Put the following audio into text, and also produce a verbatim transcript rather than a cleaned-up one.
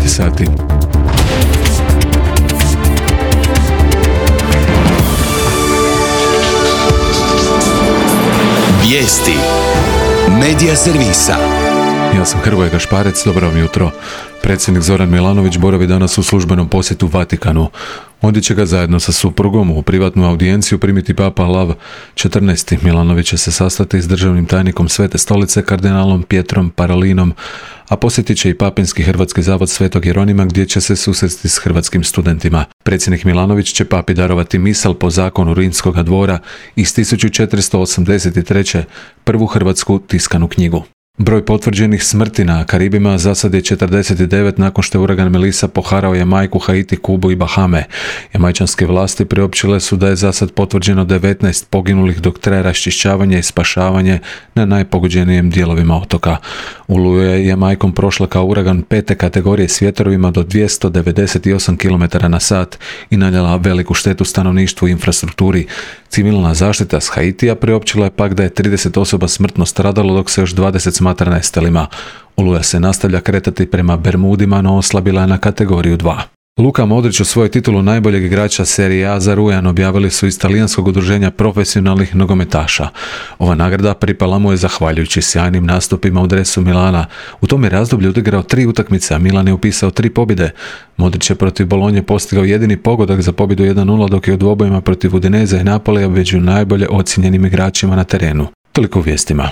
sati. Vijesti Medija servisa. Ja sam Hrvoje Gašparec, dobro vam jutro. Predsjednik Zoran Milanović boravi danas u službenom posjetu Vatikanu. Ondje će ga zajedno sa suprugom u privatnu audijenciju primiti Papa Lav četrnaesti. Milanović će se sastati s državnim tajnikom Svete stolice kardinalom Pietrom Parolinom, a posjetit će i Papinski hrvatski zavod Svetog Jeronima gdje će se susresti s hrvatskim studentima. Predsjednik Milanović će papi darovati misal po zakonu Rimskoga dvora iz tisuću četiristo osamdeset treće. prvu hrvatsku tiskanu knjigu. Broj potvrđenih smrti na Karibima za sad je četrdeset devet nakon što je uragan Melissa poharao Jamajku, Haiti, Kubu i Bahame. Jamajčanske vlasti priopćile su da je za sad potvrđeno devetnaest poginulih dok traje raščišćavanje i spašavanje na najpogođenijem dijelovima otoka. Oluja je Jamajkom prošla kao uragan pete kategorije s vjetrovima do dvjesto devedeset osam kilometara na sat i nanijela veliku štetu stanovništvu i infrastrukturi. Civilna zaštita s Haitija priopćila je pak da je trideset osoba smrtno stradalo dok se još dvadeset smatra nestalima. Oluja se nastavlja kretati prema Bermudima, no oslabila je na kategoriju dva. Luka Modrić osvojio titulu najboljeg igrača Serie A za rujan, objavili su iz talijanskog udruženja profesionalnih nogometaša. Ova nagrada pripala mu je zahvaljujući sjajnim nastupima u dresu Milana. U tom je razdoblju odigrao tri utakmice, a Milan je upisao tri pobjede. Modrić je protiv Bolonje postigao jedini pogodak za pobjedu jedan nula, dok je u dvobojima protiv Udineze i Napolija među najbolje ocijenjenim igračima na terenu. Toliko u vijestima.